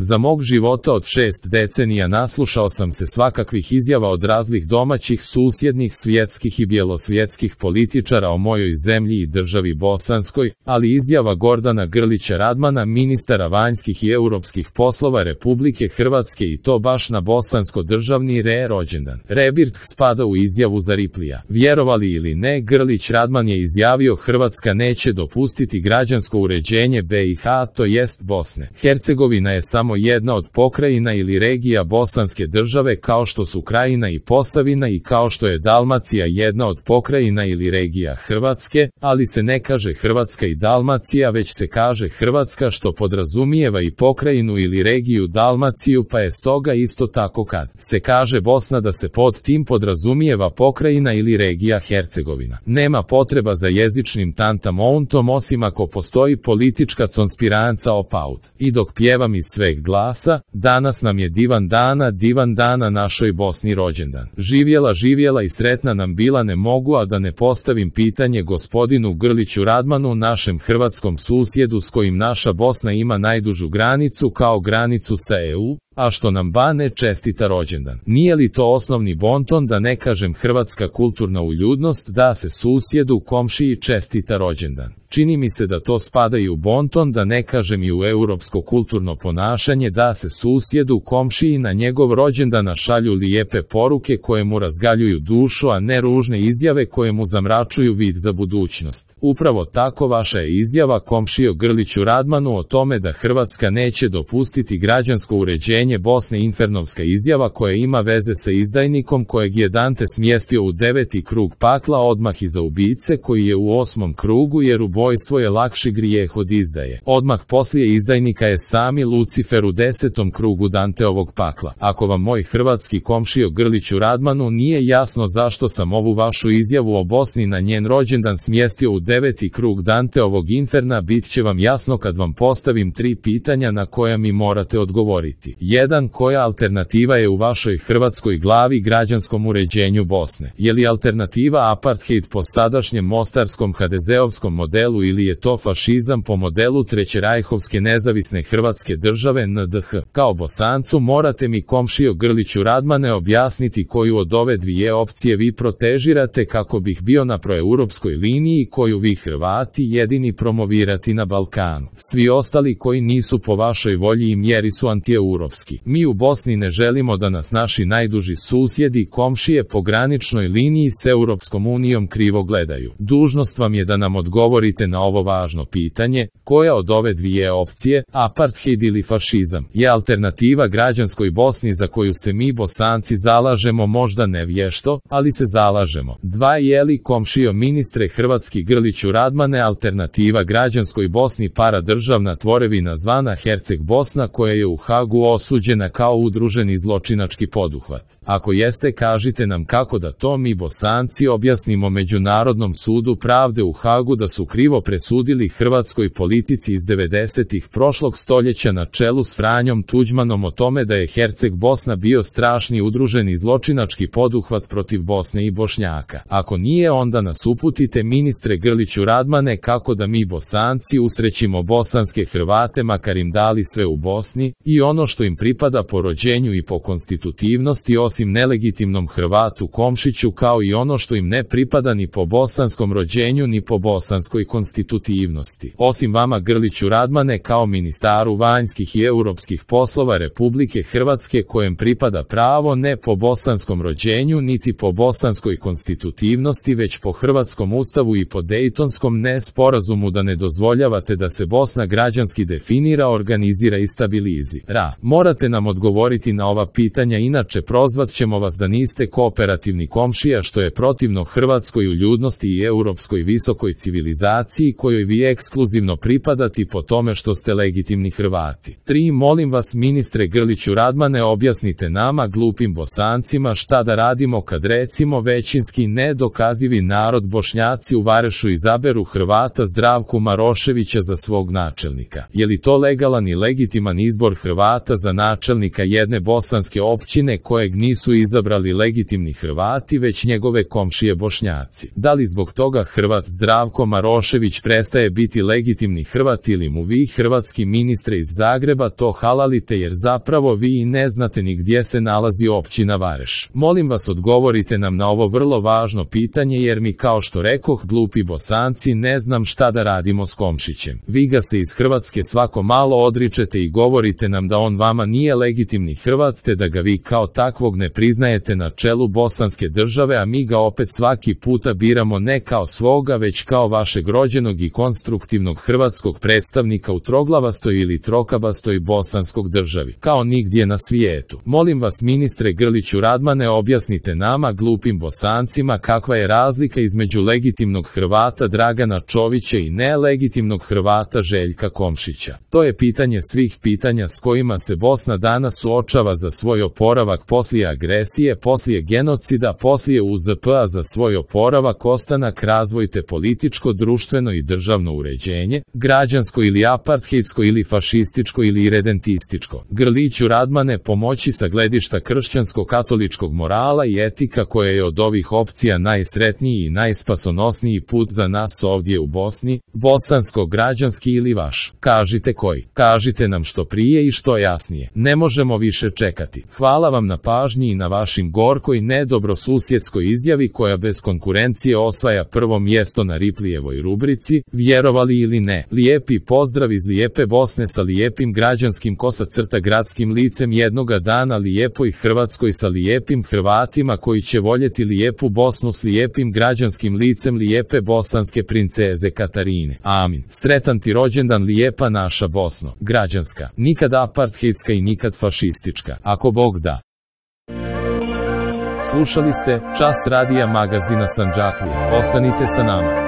Za mog života od 6 decenija naslušao sam se svakakvih izjava od raznih domaćih, susjednih, svjetskih i bjelosvjetskih političara o mojoj zemlji i državi Bosanskoj, ali izjava Gordana Grlića Radmana, ministara vanjskih i europskih poslova Republike Hrvatske, i to baš na bosansko-državni rođendan. Rebirth spada u izjavu za Riplija. Vjerovali ili ne, Grlić Radman je izjavio: Hrvatska neće dopustiti građansko uređenje BiH, to jest Bosne. Hercegovina je samo jedna od pokrajina ili regija bosanske države, kao što su Krajina i Posavina i kao što je Dalmacija jedna od pokrajina ili regija Hrvatske, ali se ne kaže Hrvatska i Dalmacija, već se kaže Hrvatska, što podrazumijeva i pokrajinu ili regiju Dalmaciju, pa je stoga isto tako kad se kaže Bosna da se pod tim podrazumijeva pokrajina ili regija Hercegovina. Nema potreba za jezičnim tantamountom, osim ako postoji politička konspiranca opaut. I dok pjevam iz sveg glasa: danas nam je divan dana našoj Bosni rođendan. Živjela i sretna nam bila, ne mogu a da ne postavim pitanje gospodinu Grliću Radmanu, našem hrvatskom susjedu s kojim naša Bosna ima najdužu granicu, kao granicu sa EU, a što nam Bane čestita rođendan. Nije li to osnovni bonton, da ne kažem hrvatska kulturna uljudnost, da se susjedu, komšiji čestita rođendan? Čini mi se da to spada i u bonton, da ne kažem i u europsko kulturno ponašanje, da se susjedu, komšiji na njegov rođendan šalju lijepe poruke koje mu razgaljuju dušu, a ne ružne izjave koje mu zamračuju vid za budućnost. Upravo tako vaša je izjava, komšijo Grliću Radmanu, o tome da Hrvatska neće dopustiti građansko uređenje Bosne, infernovska izjava koja ima veze sa izdajnikom kojeg je Dante smjestio u 9. krug pakla odmah iza ubice koji je u 8. krugu, jer ubojstvo je lakši grijeh od izdaje. Odmah poslije izdajnika je sami Lucifer u 10. krugu Danteovog pakla. Ako vam, moj hrvatski komšijo Grliću Radmanu, nije jasno zašto sam ovu vašu izjavu o Bosni na njen rođendan smjestio u 9. krug Danteovog inferna, bit će vam jasno kad vam postavim 3 pitanja na koja mi morate odgovoriti. 1. Koja alternativa je u vašoj hrvatskoj glavi građanskom uređenju Bosne? Je li alternativa apartheid po sadašnjem mostarskom HDZ-ovskom modelu ili je to fašizam po modelu trećerajhovske nezavisne Hrvatske države NDH? Kao Bosancu morate mi, komšijo Grliću Radmane, objasniti koju od ove dvije opcije vi protežirate kako bih bio na proeuropskoj liniji koju vi Hrvati jedini promovirati na Balkanu. Svi ostali koji nisu po vašoj volji i mjeri su antieuropski. Mi u Bosni ne želimo da nas naši najduži susjedi, komšije po graničnoj liniji s Europskom unijom krivo gledaju. Dužnost vam je da nam odgovorite na ovo važno pitanje: koja od ove dvije opcije, apartheid ili fašizam, je alternativa građanskoj Bosni za koju se mi Bosanci zalažemo, možda ne vješto, ali se zalažemo? 2. Je li, komšijo ministre hrvatski Grliću Radmane, alternativa građanskoj Bosni paradržavna tvorevina zvana Herceg Bosna koja je u Hagu osuđena kao udruženi zločinački poduhvat? Ako jeste, kažite nam kako da to mi Bosanci objasnimo Međunarodnom sudu pravde u Hagu da su krivo presudili hrvatskoj politici iz 90-ih prošlog stoljeća na čelu s Franjom Tuđmanom o tome da je Herceg Bosna bio strašni udruženi zločinački poduhvat protiv Bosne i Bošnjaka. Ako nije, onda nas uputite, ministre Grliću Radmane, kako da mi Bosanci usrećimo bosanske Hrvate, makar im dali sve u Bosni i ono što im pripada po rođenju i po konstitutivnosti, osim nelegitimnom Hrvatu Komšiću, kao i ono što im ne pripada ni po bosanskom rođenju ni po bosanskoj konstitutivnosti. Osim vama, Grliću Radmane, kao ministaru vanjskih i europskih poslova Republike Hrvatske, kojem pripada pravo ne po bosanskom rođenju niti po bosanskoj konstitutivnosti, već po hrvatskom ustavu i po Dejtonskom sporazumu, da ne dozvoljavate da se Bosna građanski definira, organizira i stabilizira. Morate nam odgovoriti na ova pitanja, inače prozvat ćemo vas da niste kooperativni komšija, što je protivno hrvatskoj uljudnosti i europskoj visokoj civilizaciji kojoj vi ekskluzivno pripadati po tome što ste legitimni Hrvati. 3. Molim vas, ministre Grliću Radmane, objasnite nama, glupim Bosancima, šta da radimo kad recimo većinski nedokazivi narod Bošnjaci u Varešu izaberu Hrvata Zdravku Maroševića za svog načelnika. Je li to legalan i legitiman izbor Hrvata za gradonačelnika jedne bosanske općine kojeg nisu izabrali legitimni Hrvati već njegove komšije Bošnjaci. Da li zbog toga Hrvat Zdravko Marošević prestaje biti legitimni Hrvat ili mu vi, hrvatski ministre iz Zagreba, to halalite jer zapravo vi i ne znate ni gdje se nalazi općina Vareš? Molim vas, odgovorite nam na ovo vrlo važno pitanje jer mi, kao što rekoh, glupi Bosanci, ne znam šta da radimo s Komšićem. Vi ga se iz Hrvatske svako malo odričete i govorite nam da on vama nije legitimni Hrvat te da ga vi kao takvog ne priznajete na čelu bosanske države, a mi ga opet svaki puta biramo ne kao svoga već kao vašeg rođenog i konstruktivnog hrvatskog predstavnika u troglavastoj ili trokabastoj bosanskog državi, kao nigdje na svijetu. Molim vas, ministre Grliću Radmane, objasnite nama, glupim Bosancima, kakva je razlika između legitimnog Hrvata Dragana Čovića i nelegitimnog Hrvata Željka Komšića. To je pitanje svih pitanja s kojima se Bosna danas suočava za svoj oporavak poslije agresije, poslije genocida, poslije UZP-a, za svoj oporavak, ostanak, razvoj te političko, društveno i državno uređenje, građansko ili apartheidsko ili fašističko ili redentističko. Grliću Radmane, pomoći sa gledišta kršćansko-katoličkog morala i etika koja je od ovih opcija najsretniji i najspasonosniji put za nas ovdje u Bosni, bosansko-građanski ili vaš. Kažite koji. Kažite nam što prije i što jasnije. Ne možemo više čekati. Hvala vam na pažnji i na vašim gorkoj nedobrosusjedskoj izjavi koja bez konkurencije osvaja prvo mjesto na Riplijevoj rubrici, vjerovali ili ne. Lijepi pozdrav iz lijepe Bosne sa lijepim građanskim gradskim licem jednoga dana, lijepoj Hrvatskoj sa lijepim Hrvatima koji će voljeti lijepu Bosnu s lijepim građanskim licem lijepe bosanske princeze Katarine. Amin. Sretan ti rođendan lijepa naša Bosno. Građanska. Nikad apartheidska i nikad fašistička. Ako Bog da. Slušali ste Čas radija magazina Sandžaklije. Ostanite sa nama.